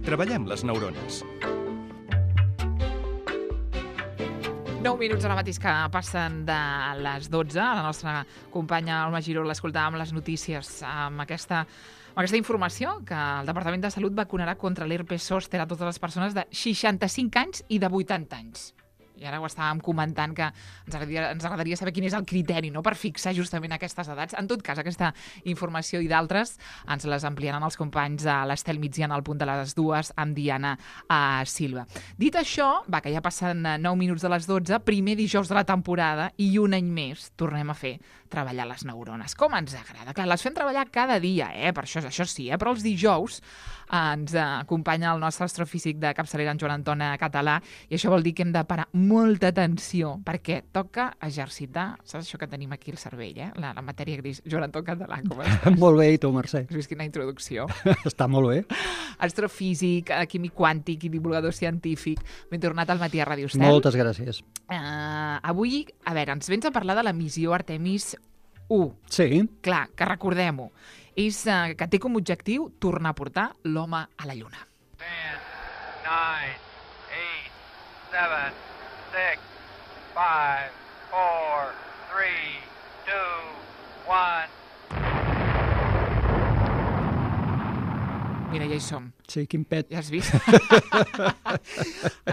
Treballem les neurones. 9 minuts ara mateix que passen de les 12. La nostra companya Alma Giró l'escoltàvem les notícies amb aquesta informació que el Departament de Salut vacunarà contra l'herpes zòster a totes les persones de 65 anys i de 80 anys. I ara ho estàvem comentant que ens agradaria saber quin és el criteri, no?, per fixar justament aquestes edats. En tot cas, aquesta informació i d'altres ens les ampliaran els companys de l'Estel Migdiana al punt de les 2 amb Diana Silva. Dit això, que ja passen 9 minuts de les 12, primer dijous de la temporada i un any més tornem a fer treballar les neurones. Com ens agrada? Clar, les fem treballar cada dia, per això sí, però els dijous ens acompanya el nostre astrofísic de capçalera, en Joan Anton Català, i això vol dir que hem de parar molta atenció, perquè toca exercitar, saps això que tenim aquí al cervell, la matèria gris. Joan Anton Català, com estàs? Molt bé, i tu, Mercè? Has vist quina introducció? Està molt bé. Astrofísic, químic quàntic i divulgador científic. Ben tornat al matí a Ràdio Estel. Moltes gràcies. Avui, ens vens a parlar de la missió Artemis 1. Sí. Clar, que recordem-ho, és que té com a objectiu tornar a portar l'home a la Lluna. 10, 9, 8, 7, 6, 5, 4, 3, 2, 1... Mira, ja hi som. Sí, quin pet. Ja has vist?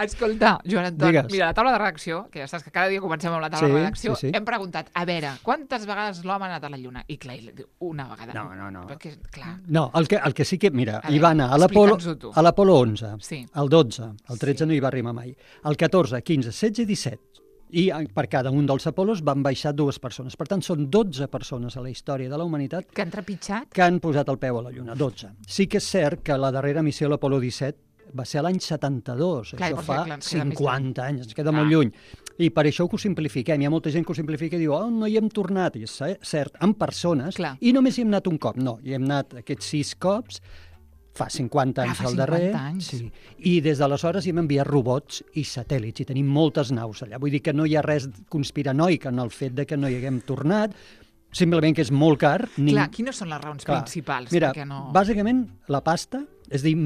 Escolta, Joan Anton, Digues. Mira, la taula de redacció, que ja saps que cada dia comencem amb la taula de redacció, sí. Hem preguntat, a veure, quantes vegades l'home ha anat a la Lluna? I clar, una vegada. No. Perquè, clar... No, el que sí que, mira, A hi veure, va anar a l'Apolo explica'ns-ho tu. 11, Sí. el 12, el 13 Sí. no hi va arribar mai, el 14, 15, 16 i 17. I per cada un dels Apolos van baixar 2 persones. Per tant, són 12 persones a la història de la humanitat Que han trepitjat? que han posat el peu a la Lluna, 12. Sí que és cert que la darrera missió, l'Apolo 17, va ser l'any 72. Clar, Això perquè, fa clar, ens queda més 50 anys, ens queda molt lluny. I per això ho simplifiquem. Hi ha molta gent que ho simplifica i diu, no hi hem tornat. I és cert, amb persones, Clar. i només hi hem anat un cop. No, hi hem anat aquests 6 cops, fa 50 anys fa al darrer. 50 anys. Sí. I des d'aleshores hi hem enviat robots i satèl·lits, i tenim moltes naus allà. Vull dir que no hi ha res conspiranoic en el fet de que no hi haguem tornat, simplement que és molt car. Clar, quines són les raons principals? Mira, perquè no... bàsicament la pasta, és a dir,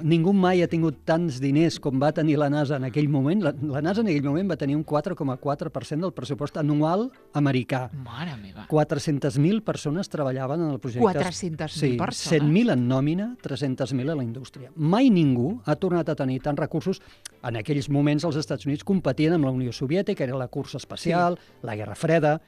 ningú mai ha tingut tants diners com va tenir la NASA en aquell moment. La NASA en aquell moment va tenir un 4,4% del pressupost anual americà. Mare meva. 400.000 persones treballaven en el projecte. 400.000 persones? 100.000 en nòmina, 300.000 a la indústria. Mai ningú ha tornat a tenir tants recursos. En aquells moments els Estats Units competien amb la Unió Soviètica, era la cursa espacial, la Guerra Freda,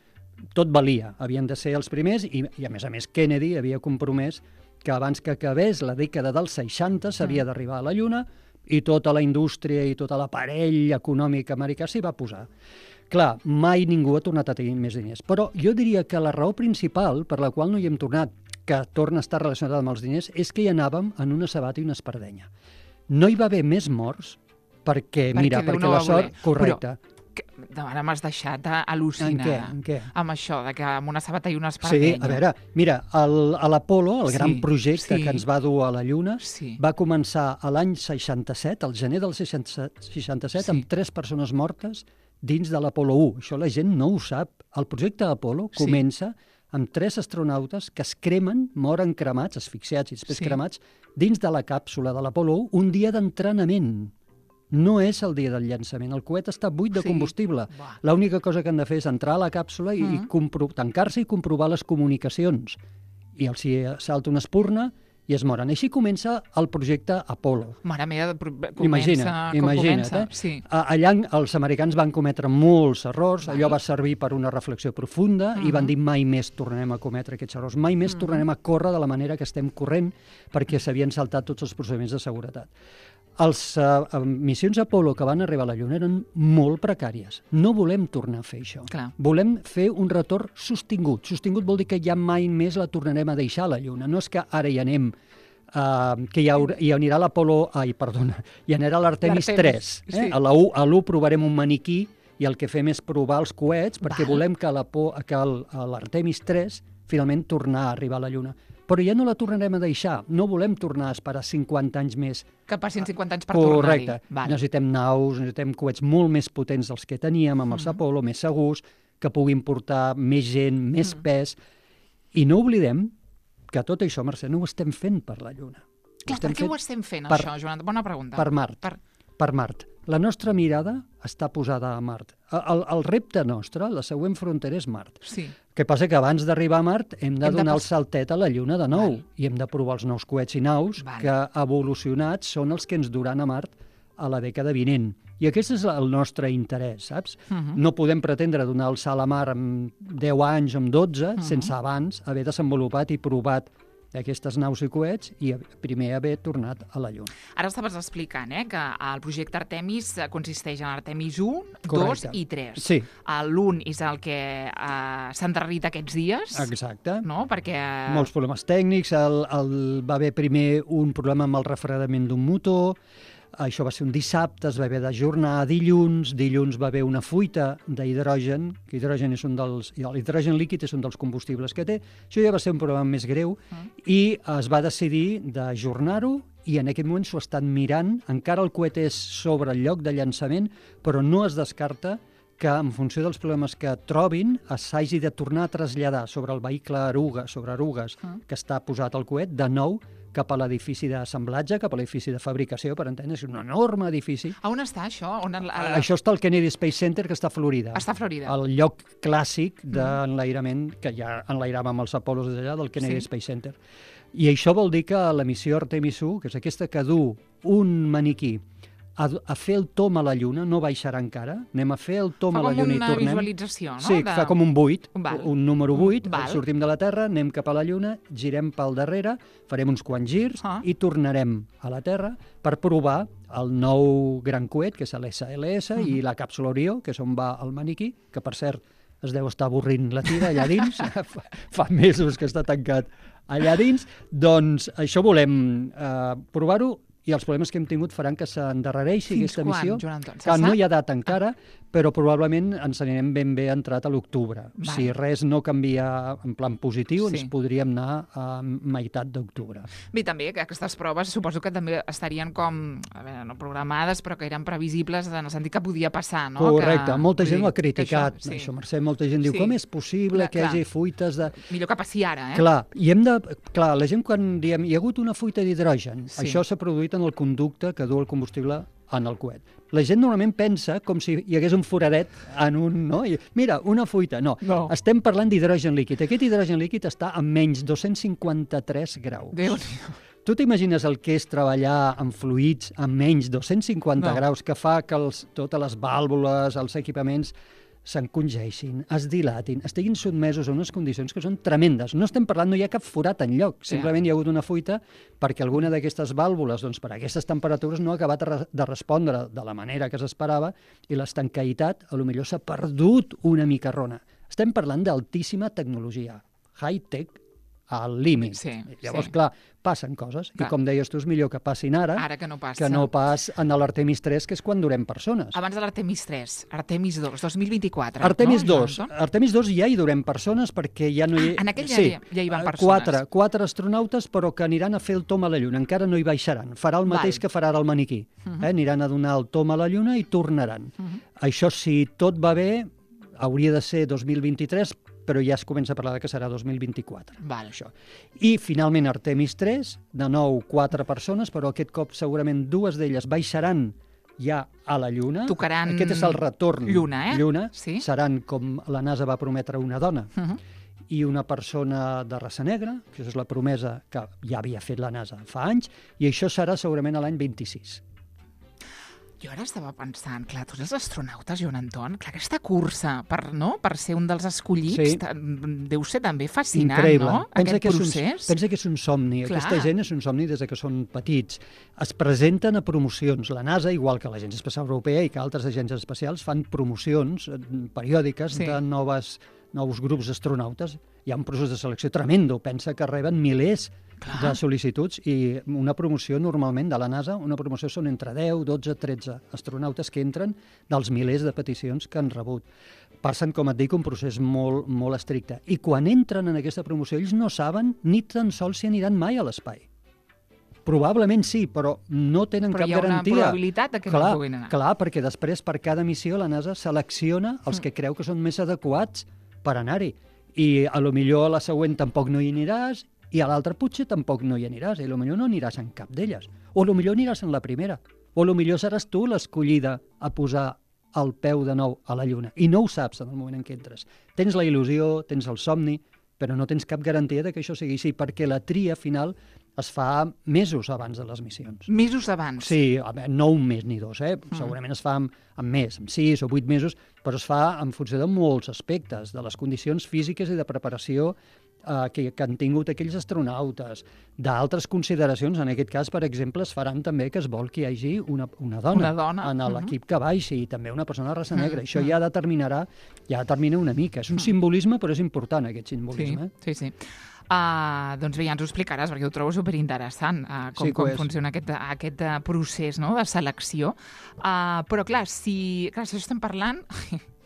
tot valia. Havien de ser els primers i a més, Kennedy havia compromès que abans que acabés la dècada dels 60 s'havia d'arribar a la Lluna, i tota la indústria i tot l'aparell econòmic americà s'hi va posar. Clar, mai ningú ha tornat a tenir més diners. Però jo diria que la raó principal per la qual no hi hem tornat, que torna a estar relacionada amb els diners, és que hi anàvem en una sabata i una espardenya. No hi va haver més morts perquè Déu no la va sort... voler. Correcte. Ara m'has deixat al·lucinada. En què? Amb això, de que amb una sabata i una espardenya. Sí, a veure, mira, l'Apolo, el gran projecte que ens va dur a la Lluna, va començar a l'any 67, al gener del 67, amb 3 persones mortes dins de l'Apolo 1. Això la gent no ho sap. El projecte Apolo comença amb 3 astronautes que es cremen, moren cremats, asfixiats i després cremats, dins de la càpsula de l'Apolo 1 un dia d'entrenament. No és el dia del llançament. El coet està buit de combustible. L'única cosa que han de fer és entrar a la càpsula i tancar-se i comprovar les comunicacions. I els hi salta una espurna i es moren. Així comença el projecte Apolo. Mare meva, Imagina't. Allà els americans van cometre molts errors, allò va servir per una reflexió profunda i van dir mai més tornarem a cometre aquests errors, mai més tornarem a córrer de la manera que estem corrent perquè s'havien saltat tots els procediments de seguretat. Les missions Apolo que van arribar a la Lluna eren molt precàries. No volem tornar a fer això. Volem fer un retorn sostingut. Sostingut vol dir que ja mai més la tornarem a deixar a la Lluna. No és que ara hi anem, que hi anirà l'Apolo... hi anirà l'Artemis 3. A l'1 provarem un maniquí i el que fem és provar els coets perquè volem que l'Artemis 3 finalment tornar a arribar a la Lluna. Però ja no la tornarem a deixar. No volem tornar a esperar 50 anys més. Que passin 50 anys per tornar-hi. Correcte. Necessitem naus, necessitem coets molt més potents dels que teníem amb els Apolo, més segurs, que puguin portar més gent, més pes. I no oblidem que tot això, Mercè, no ho estem fent per la Lluna. Clar, per què ho estem fent, això, Joan? Bona pregunta. Per Mart. Per Mart. La nostra mirada està posada a Mart. El repte nostre, la següent frontera és Mart. Sí. El que passa que abans d'arribar a Mart hem de donar el saltet a la Lluna de nou i hem de provar els nous coets i naus que evolucionats són els que ens duran a Mart a la dècada vinent. I aquest és el nostre interès, saps? No podem pretendre donar el salt a mar en 10 anys o en 12 sense abans haver desenvolupat i provat aquestes naus i coets i primer haver tornat a la Lluna. Ara estaves explicant que el projecte Artemis consisteix en Artemis 1, 2 i 3. Sí. L'1 és el que s'ha endarrerit aquests dies. Exacte. No? Perquè... Molts problemes tècnics. Va haver primer un problema amb el refredament d'un motor. Això va ser un dissabte, es va haver d'ajornar a dilluns va haver una fuita d'hidrogen, que l'hidrogen líquid és un dels combustibles que té, això ja va ser un problema més greu, i es va decidir d'ajornar-ho, i en aquest moment s'ho estan mirant, encara el coet és sobre el lloc de llançament, però no es descarta que en funció dels problemes que trobin s'hagi de tornar a traslladar sobre el vehicle sobre erugues que està posat al coet, de nou cap a l'edifici d'assemblatge, cap a l'edifici de fabricació, per entendre, és un enorme edifici. A on està això? Això està al Kennedy Space Center, que està a Florida. Està a Florida. El lloc clàssic d'enlairament, que ja enlairàvem els Apollos des d'allà, del Kennedy Space Center. I això vol dir que la missió Artemis 1, que és aquesta que du un maniquí a fer el tom a la Lluna, no baixarà encara, anem a fer el tom a la Lluna i tornem. Fa com una visualització, no? Sí, fa com un 8, un número 8, sortim de la Terra, anem cap a la Lluna, girem pel darrere, farem uns quants girs i tornarem a la Terra per provar el nou gran coet, que és l'SLS, i la càpsula Orió, que és on va el maniquí, que per cert es deu estar avorrint la tira allà dins, fa mesos que està tancat allà dins, doncs això volem provar-ho, i els problemes que hem tingut faran que s'endarrereixi aquesta missió. Fins quan, Joan Anton? Que no hi ha data encara, però probablement ens anirem ben bé entrat a l'octubre. Si res no canvia en plan positiu, ens podríem anar a meitat d'octubre. Bé, també que aquestes proves suposo que també estarien no programades, però que eren previsibles en el sentit que podia passar, no? Correcte, molta gent ho ha criticat. Això, Mercè, molta gent diu, com és possible que hi hagi fuites de... Millor que passi ara, Clar, la gent quan diem hi ha hagut una fuita d'hidrogen, això s'ha produït en el conducte que du el combustible en el coet. La gent normalment pensa com si hi hagués un foradet en un... No? Mira, una fuita. No. Estem parlant d'hidrogen líquid. Aquest hidrogen líquid està a menys 253 graus. Déu-n'hi-do. Tu t'imagines el que és treballar amb fluids a menys 250 graus, que fa que totes les vàlvules, els equipaments s'encongeixin, es dilatin, estiguin sotmesos a unes condicions que són tremendes. No estem parlant, no hi ha cap forat enlloc, simplement hi ha hagut una fuita perquè alguna d'aquestes vàlvules, doncs, per aquestes temperatures no ha acabat de respondre de la manera que s'esperava i l'estancaïtat, potser s'ha perdut una micarrona. Estem parlant d'altíssima tecnologia, high-tech al límit. Llavors, clar, passen coses. I com deies tu, és millor que passin ara que no pas en l'Artemis 3, que és quan durem persones. Abans de l'Artemis 3, Artemis 2, 2024. Artemis 2 ja hi durem persones perquè ja no hi... En aquell ja hi van persones. Quatre astronautes, però que aniran a fer el tom a la Lluna. Encara no hi baixaran. Farà el mateix que farà ara el maniquí. Aniran a donar el tom a la Lluna i tornaran. Això, si tot va bé, hauria de ser 2023, però ja es comença a parlar que serà 2024. Això. I finalment Artemis 3, de nou 4 persones, però aquest cop segurament 2 d'elles baixaran ja a la Lluna. Tocaran aquest és el retorn. Lluna. Seran, com la NASA va prometre, una dona i una persona de raça negra, que és la promesa que ja havia fet la NASA fa anys, i això serà segurament a l'any 26. Jo ara estava pensant, clar, tots els astronautes, Joan Anton, clar, aquesta cursa per ser un dels escollits deu ser també fascinant, increïble. No? Aquest procés. Pensa que és un somni. Clar. Aquesta gent és un somni des que són petits. Es presenten a promocions. La NASA, igual que l'Agència Espacial Europea i que altres agències espacials, fan promocions periòdiques de nous grups d'astronautes. Hi ha un procés de selecció tremendo. Pensa que reben milers de sol·licituds i una promoció normalment de la NASA, una promoció són entre 10, 12, 13 astronautes que entren dels milers de peticions que han rebut. Passen, com et dic, un procés molt, molt estricte. I quan entren en aquesta promoció, ells no saben ni tan sols si aniran mai a l'espai. Probablement sí, però no tenen cap garantia. Però hi ha una probabilitat que no puguin anar. Clar, perquè després per cada missió la NASA selecciona els que creu que són més adequats per anar-hi. I a lo millor a la següent tampoc no hi aniràs i a l'altre potser tampoc no hi aniràs, i potser no aniràs en cap d'elles. O potser aniràs en la primera. O potser seràs tu l'escollida a posar el peu de nou a la Lluna. I no ho saps en el moment en què entres. Tens la il·lusió, tens el somni, però no tens cap garantia de que això sigui així, perquè la tria final es fa mesos abans de les missions. Mesos abans? Sí, no un mes ni dos, segurament es fa amb més, amb 6 o 8 mesos, però es fa en funció de molts aspectes, de les condicions físiques i de preparació que han tingut aquells astronautes, d'altres consideracions. En aquest cas, per exemple, es faran també que es vol que hi hagi una dona en l'equip que baixi, i també una persona de raça negra. Això ja determina una mica. És un simbolisme, però és important, aquest simbolisme. Sí. Doncs bé, ja ens ho explicaràs, perquè ho trobo superinteressant, com funciona aquest procés, no?, de selecció. Però, clar, si això estem parlant...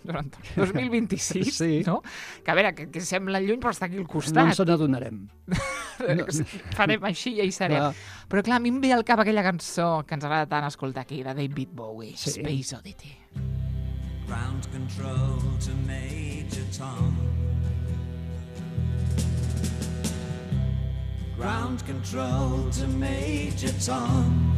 2026, sí. No? Que a veure, que sembla lluny, però està aquí al costat. No ens n'adonarem. Farem així i ja hi serem. Però clar, a mi em ve al cap aquella cançó que ens agrada tant escoltar aquí, de David Bowie, Space Oddity. Ground control to Major Tom. Ground control to Major Tom.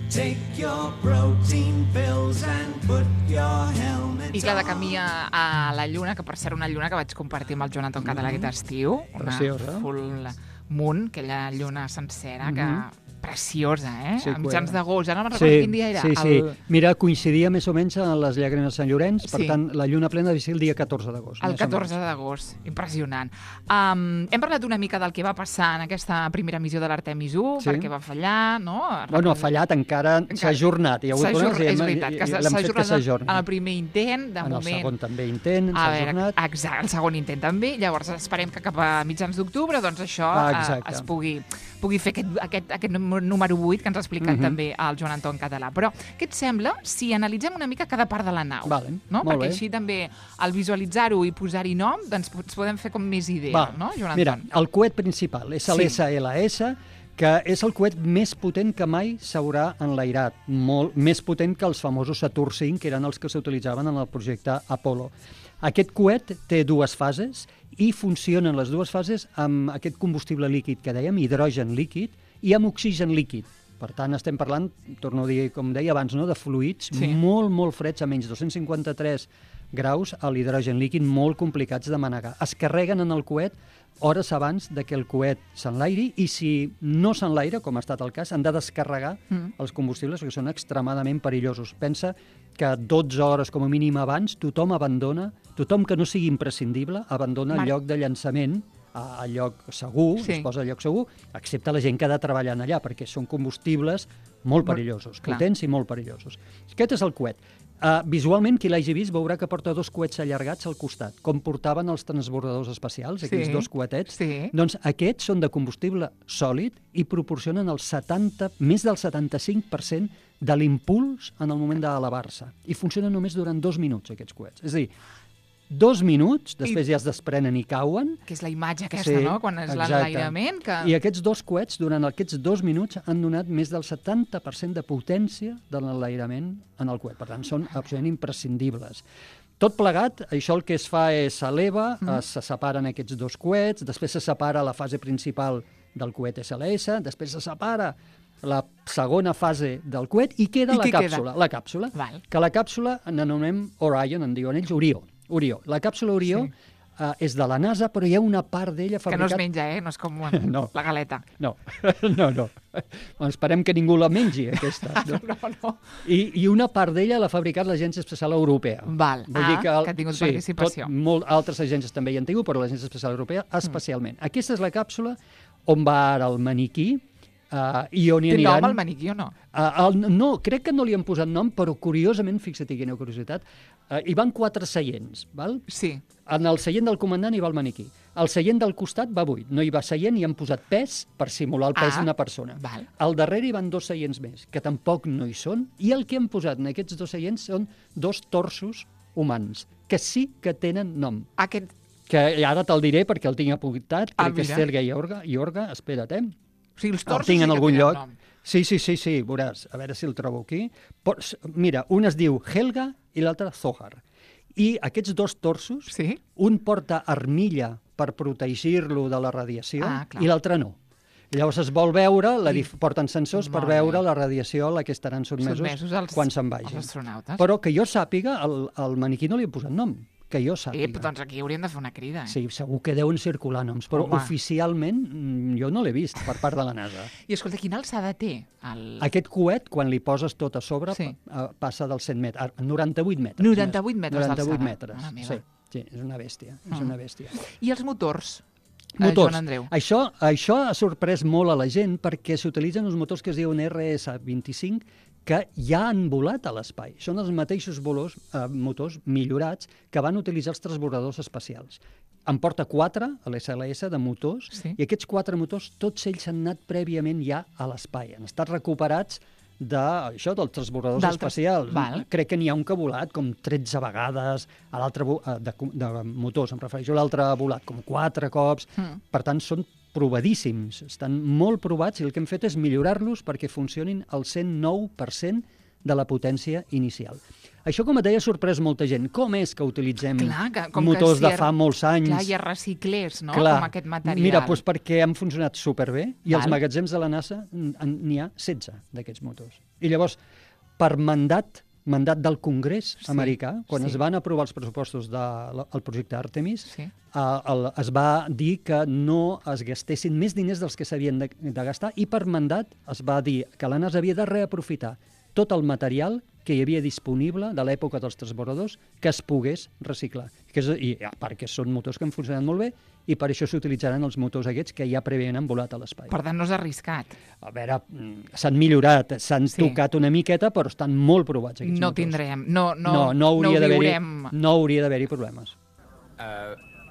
Take your protein pills and put your helmet on. I clar, de camí a la Lluna, que per ser una lluna que vaig compartir amb el Jonathan Català aquest estiu. Preciosa. Una full moon, aquella lluna sencera, que preciosa, Sí, a mitjans d'agost. Ja no me'n recordo quin dia era. Sí. Mira, coincidia més o menys a les llàgrimes de Sant Llorenç, per tant, la lluna plena devia ser el dia 14 d'agost. El 14 d'agost, impressionant. Hem parlat una mica del que va passar en aquesta primera missió de l'Artemis 1, perquè va fallar, no? Bueno, ha fallat, encara s'ha ajornat. És veritat, que s'ha ajornat en el primer intent, de moment. En el segon també intent, s'ha ajornat. Exacte, el segon intent també. Llavors esperem que cap a mitjans d'octubre doncs això es pugui fer aquest número 8 que ens ha explicat també el Joan Anton Català. Però què et sembla si analitzem una mica cada part de la nau? No? Perquè així també, al visualitzar-ho i posar-hi nom, doncs ens podem fer com més idea, no, Joan Anton? Mira, el coet principal és l'SLS, que és el coet més potent que mai s'haurà enlairat, molt més potent que els famosos Saturn V, que eren els que s'utilitzaven en el projecte Apollo. Aquest coet té dues fases i funcionen les dues fases amb aquest combustible líquid que dèiem, hidrogen líquid, i amb oxigen líquid. Per tant, estem parlant, torno a dir, com deia abans, de fluids molt, molt freds, a menys 253 graus, a l'hidrogen líquid, molt complicats de manegar. Es carreguen en el coet hores abans de que el coet s'enlairi, i si no s'enlaira, com ha estat el cas, han de descarregar els combustibles, perquè són extremadament perillosos. Pensa que 12 hores com a mínim abans tothom que no sigui imprescindible, abandona el lloc de llançament a lloc segur, es posa a lloc segur, excepte la gent que ha de treballar allà, perquè són combustibles molt perillosos, potents i molt perillosos. Aquest és el coet. Visualment, qui l'hagi vist veurà que porta dos coets allargats al costat, com portaven els transbordadors espacials, aquells dos coetets. Doncs aquests són de combustible sòlid i proporcionen més del 75% de l'impuls en el moment d'elevar-se. I funcionen només durant 2 minuts, aquests coets. És a dir, 2 minuts, després ja es desprenen i cauen. Que és la imatge aquesta, no?, quan és l'enlairament. I aquests dos coets, durant aquests 2 minuts, han donat més del 70% de potència de l'enlairament en el coet. Per tant, són absolutament imprescindibles. Tot plegat, això el que es fa és s'eleva, se separen aquests dos coets, després se separa la fase principal del coet SLS, després se separa la segona fase del coet i queda la càpsula. Que la càpsula n'anomenem Orion, en diuen ells Orió. La càpsula Orió és de la NASA, però hi ha una part d'ella fabricat... Que no es menja, no és com la galeta. No. Esperem que ningú la mengi, aquesta. No. I una part d'ella l'ha fabricat l'Agència Espacial Europea. Que ha tingut participació. Altres agències també hi han tingut, però l'Agència Espacial Europea especialment. Aquesta és la càpsula on va ara el maniquí, i on hi aniran... Té nom el maniquí o no? No, crec que no li han posat nom, però curiosament, fixa't quina curiositat, hi van 4 seients, val? Sí. En el seient del comandant hi va el maniquí. El seient del costat va buit, no hi va seient i han posat pes per simular el pes d'una persona. Al darrere hi van 2 seients més, que tampoc no hi són, i el que han posat en aquests 2 seients són 2 torsos humans, que sí que tenen nom. Que ara te'l diré perquè el tinc apuntat, crec que és Sergei Iorga, espera't, O sigui, els torsos sí que tenen nom. Sí, veuràs, a veure si el trobo aquí. Mira, un es diu Helga i l'altre Zohar. I aquests dos torsos, un porta armilla per protegir-lo de la radiació i l'altre no. Llavors es vol veure, porten sensors per veure la radiació a la que estaran sotmesos quan se'n vagin. Però que jo sàpiga, al maniquí no li he posat nom, que jo sàpiga. Doncs aquí hauríem de fer una crida. Sí, segur que deuen circular noms, però oficialment jo no l'he vist per part de la NASA. I escolta, quina alçada té? Aquest coet, quan li poses tot a sobre, passa dels 100 metres, 98 metres. 98 metres d'alçada. 98 metres, sí, és una bèstia, és una bèstia. I els motors? Motors. Això ha sorprès molt a la gent perquè s'utilitzen uns motors que es diuen RS-25 que ja han volat a l'espai. Són els mateixos motors millorats que van utilitzar els transbordadors espacials. En porta 4, a l'SLS, de motors, i aquests 4 motors, tots ells han anat prèviament ja a l'espai. Han estat recuperats dels transbordadors espacials. Crec que n'hi ha un que ha volat com 13 vegades, de motors, em refereixo, l'altre ha volat com 4 cops, per tant són provadíssims, estan molt provats i el que hem fet és millorar-los perquè funcionin al 109% de la potència inicial. Això, com et deia, ha sorprès molta gent. Com és que utilitzem motors de fa molts anys? Hi ha reciclers, no?, com aquest material. Mira, doncs perquè han funcionat superbé i als magatzems de la NASA n'hi ha 16 d'aquests motors. I llavors, per mandat del Congrés americà, quan es van aprovar els pressupostos del projecte Artemis, es va dir que no es gastessin més diners dels que s'havien de gastar i per mandat es va dir que la NASA havia de reaprofitar tot el material que hi havia disponible de l'època dels transbordadors que es pogués reciclar. I a part que són motors que han funcionat molt bé i per això s'utilitzaran els motors aquests que ja prèviament han volat a l'espai. Per tant, no és arriscat. A veure, s'han millorat, s'han tocat una miqueta, però estan molt provats aquests motors. No tindrem, no ho viurem. No hauria d'haver-hi problemes.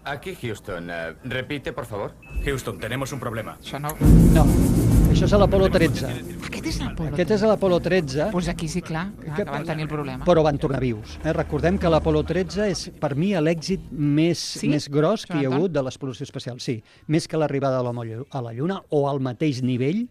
Aquí Houston. Repite, por favor. Houston, tenemos un problema. Això no. No. Això és a l'Apolo 13. Aquest és l'Apolo 13? Aquest és a l'Apolo 13. Doncs aquí sí, clar, que van tenir el problema. Però van tornar vius. Recordem que l'Apolo 13 és, per mi, l'èxit més gros que hi ha hagut de l'exploració espacial. Sí, més que l'arribada de l'home a la Lluna, o al mateix nivell,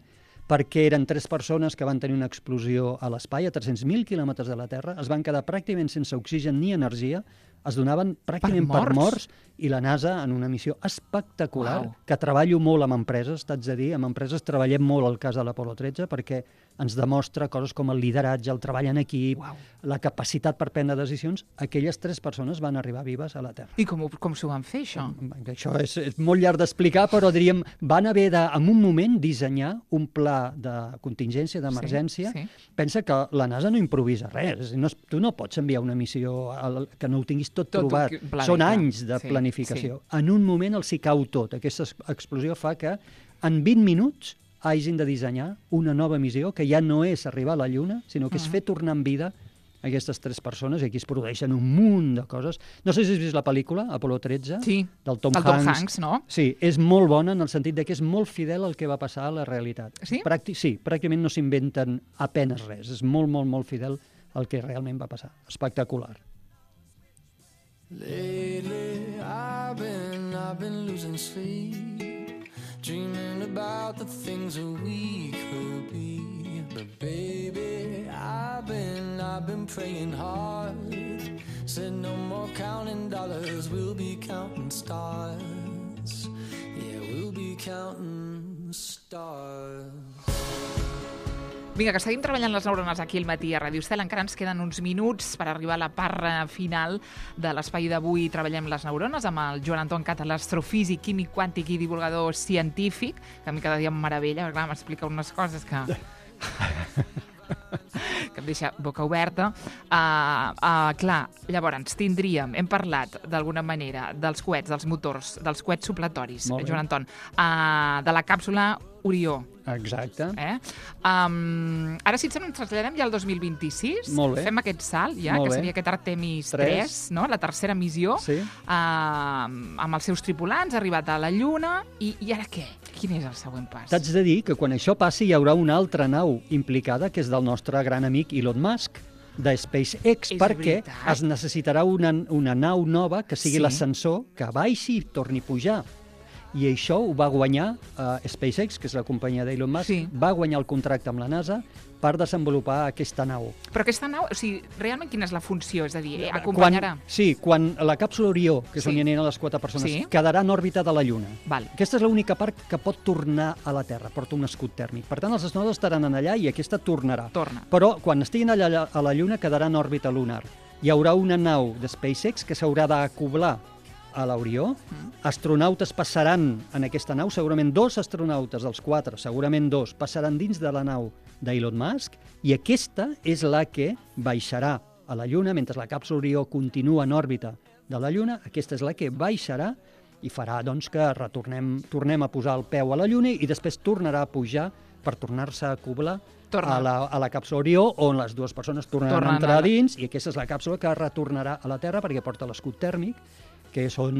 perquè eren 3 persones que van tenir una explosió a l'espai, a 300.000 quilòmetres de la Terra, es van quedar pràcticament sense oxigen ni energia, es donaven pràcticament per morts, i la NASA, en una missió espectacular, que treballo molt amb empreses, t'haig de dir, amb empreses treballem molt al cas de l'Apolo 13, perquè ens demostra coses com el lideratge, el treball en equip, la capacitat per prendre decisions. Aquelles 3 persones van arribar vives a la Terra. I com s'ho van fer, això? Això és molt llarg d'explicar, però diríem, van haver de, en un moment, dissenyar un pla de contingència, d'emergència. Pensa que la NASA no improvisa res. Tu no pots enviar una missió que no ho tinguis tot provat. Són anys de planificació. En un moment els hi cau tot. Aquesta explosió fa que en 20 minuts hagin de dissenyar una nova missió que ja no és arribar a la Lluna, sinó que és fer tornar en vida aquestes 3 persones, i aquí es produeixen un munt de coses. No sé si has vist la pel·lícula, Apolo 13, del Tom Hanks, no? Sí, és molt bona en el sentit que és molt fidel al que va passar a la realitat. Sí? Sí, pràcticament no s'inventen apenes res. És molt, molt, molt fidel al que realment va passar. Espectacular. Lately I've been losing sleep, dreaming about the things that we could be. But baby, I've been praying hard. Said no more counting dollars, we'll be counting stars. Yeah, we'll be counting stars. Vinga, que seguim treballant les neurones aquí al matí a Ràdio Estel. Encara ens queden uns minuts per arribar a la part final de l'espai d'avui. Treballem les neurones amb el Joan Anton Cata, l'astrofísic, químic quàntic i divulgador científic, que a mi cada dia em meravella, perquè clar, m'explica unes coses que em deixa boca oberta. Clar, llavors tindríem, hem parlat d'alguna manera dels coets, dels motors, dels coets supletoris, Joan Anton, de la càpsula Orió. Exacte. Ara, si ens traslladem ja al 2026, fem aquest salt ja, que seria aquest Artemis 3, no? La tercera missió, amb els seus tripulants, ha arribat a la Lluna, i ara què? Quin és el següent pas? T'haig de dir que quan això passi hi haurà una altra nau implicada, que és del nostre gran amic Elon Musk, de SpaceX, perquè es necessitarà una nau nova que sigui l'ascensor que baixi i torni a pujar. I això ho va guanyar SpaceX, que és la companyia d'Elon Musk, va guanyar el contracte amb la NASA per desenvolupar aquesta nau. Però aquesta nau, o sigui, realment quina és la funció? És a dir, acompanyarà? Quan la càpsula Orió, que és on hi aniran les 4 persones, quedarà en òrbita de la Lluna. Aquesta és l'única part que pot tornar a la Terra, porta un escut tèrmic. Per tant, els astronautes estaran allà i aquesta tornarà. Però quan estiguin allà a la Lluna quedarà en òrbita lunar. Hi haurà una nau de SpaceX que s'haurà d'acoblar a l'Orió. Astronautes passaran en aquesta nau, segurament 2 astronautes dels 4, segurament 2, passaran dins de la nau d'Elon Musk, i aquesta és la que baixarà a la Lluna, mentre la càpsula Orió continua en òrbita de la Lluna, aquesta és la que baixarà i farà doncs, que tornem a posar el peu a la Lluna i després tornarà a pujar per tornar-se a acoblar a la càpsula Orió, on les 2 persones tornaran a entrar dins, i aquesta és la càpsula que retornarà a la Terra perquè porta l'escut tèrmic, que és on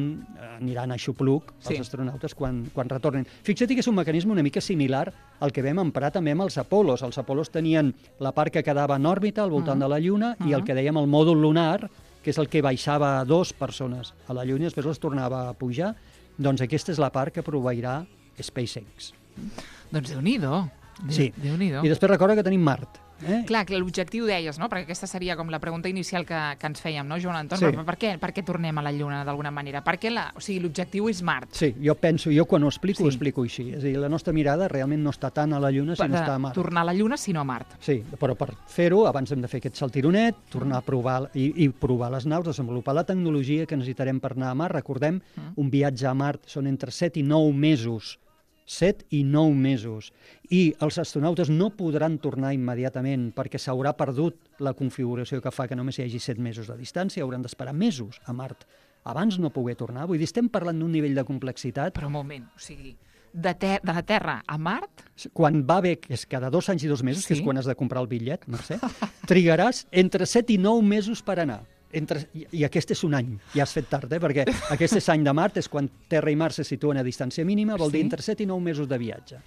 aniran a xupluc els astronautes quan retornin. Fixa't que és un mecanisme una mica similar al que vam emprar també amb els Apolos. Els Apolos tenien la part que quedava en òrbita al voltant de la Lluna i el que dèiem el mòdul lunar, que és el que baixava 2 persones a la Lluna i després les tornava a pujar. Doncs aquesta és la part que proveirà SpaceX. Doncs Déu-n'hi-do. Sí, i després recorda que tenim Mart. Clar, que l'objectiu deies, no? Perquè aquesta seria com la pregunta inicial que ens fèiem, no, Joan Anton? Per què tornem a la Lluna d'alguna manera? Perquè l'objectiu és Mart. Sí, jo quan ho explico així. És a dir, la nostra mirada realment no està tant a la Lluna, sinó està a Mart. Tornar a la Lluna, sinó a Mart. Sí, però per fer-ho, abans hem de fer aquest saltironet, tornar a provar i provar les naus, desenvolupar la tecnologia que necessitarem per anar a Mart. Recordem, un viatge a Mart són entre 7 i 9 mesos. 7 i 9 mesos. I els astronautes no podran tornar immediatament perquè s'haurà perdut la configuració que fa que només hi hagi 7 mesos de distància, hauran d'esperar mesos a Mart abans no poder tornar. Vull dir, estem parlant d'un nivell de complexitat... Però un moment, o sigui, de la Terra a Mart... Quan va bé, que és cada 2 anys i 2 mesos, que és quan has de comprar el bitllet, Mercè, trigaràs entre 7 i 9 mesos per anar. I aquest és un any, ja has fet tard, perquè aquest és any de Mart, és quan Terra i Mart se situen a distància mínima, vol dir entre 7 i 9 mesos de viatge.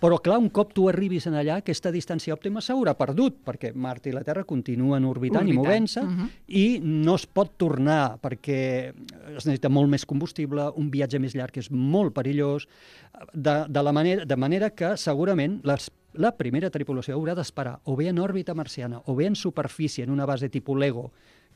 Però clar, un cop tu arribis en allà, aquesta distància òptima s'haurà perdut, perquè Mart i la Terra continuen orbitant i movent-se, i no es pot tornar, perquè es necessita molt més combustible, un viatge més llarg és molt perillós, de manera que segurament la primera tripulació haurà d'esperar o bé en òrbita marciana o bé en superfície, en una base tipus Lego,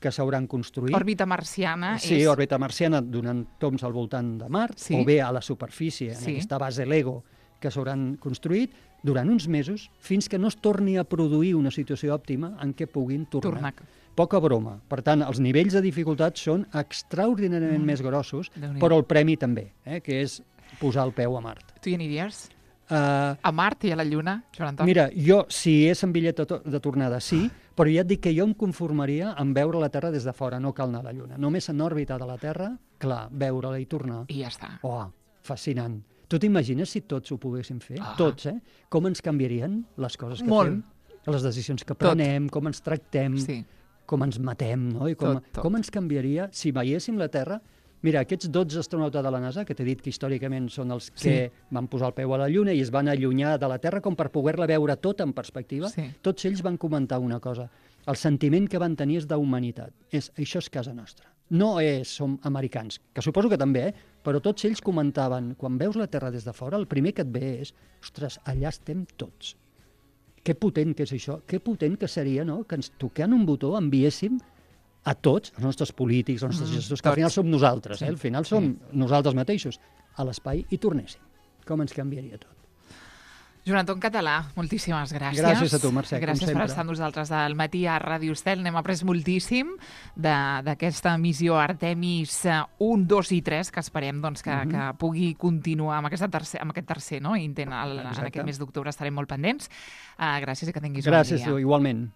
que s'hauran construït. Òrbita marciana és... Sí, òrbita marciana donant tombs al voltant de Mart, o bé a la superfície, en aquesta base Lego que s'hauran construït durant uns mesos fins que no es torni a produir una situació òptima en què puguin tornar. Poca broma. Per tant, els nivells de dificultat són extraordinàriament més grossos, però el premi també, que és posar el peu a Mart. Tu hi aniries? A Mart i a la Lluna, Joan Anton? Mira, jo, si és en bitllet de tornada, sí, però ja et dic que jo em conformaria en veure la Terra des de fora, no cal anar a la Lluna. Només en òrbita de la Terra, clar, veure-la i tornar. I ja està. Fascinant. Tu t'imagines si tots ho poguéssim fer? Tots, Com ens canviarien les coses que fem? Les decisions que prenem, com ens tractem, com ens matem, no? I com ens canviaria si veiéssim la Terra. Mira, aquests 12 astronautes de la NASA, que t'he dit que històricament són els que van posar el peu a la Lluna i es van allunyar de la Terra com per poder-la veure tota en perspectiva, tots ells van comentar una cosa. El sentiment que van tenir és d'humanitat. Això és casa nostra. No som americans, que suposo que també, però tots ells comentaven, quan veus la Terra des de fora, el primer que et ve és, ostres, allà estem tots. Que potent que és això, que potent que seria, no?, que ens tocant un botó enviéssim a tots, els nostres polítics, els nostres gestors, que al final som nosaltres, al final som nosaltres mateixos, a l'espai i tornéssim. Com ens canviaria tot. Joan Anton Català, moltíssimes gràcies. Gràcies a tu, Mercè, com sempre. Gràcies per estar amb nosaltres al matí a Ràdio Estel. N'hem après moltíssim d'aquesta missió Artemis 1, 2 i 3, que esperem que pugui continuar amb aquest tercer intent en aquest mes d'octubre. Estarem molt pendents. Gràcies i que tinguis un bon dia. Gràcies, igualment.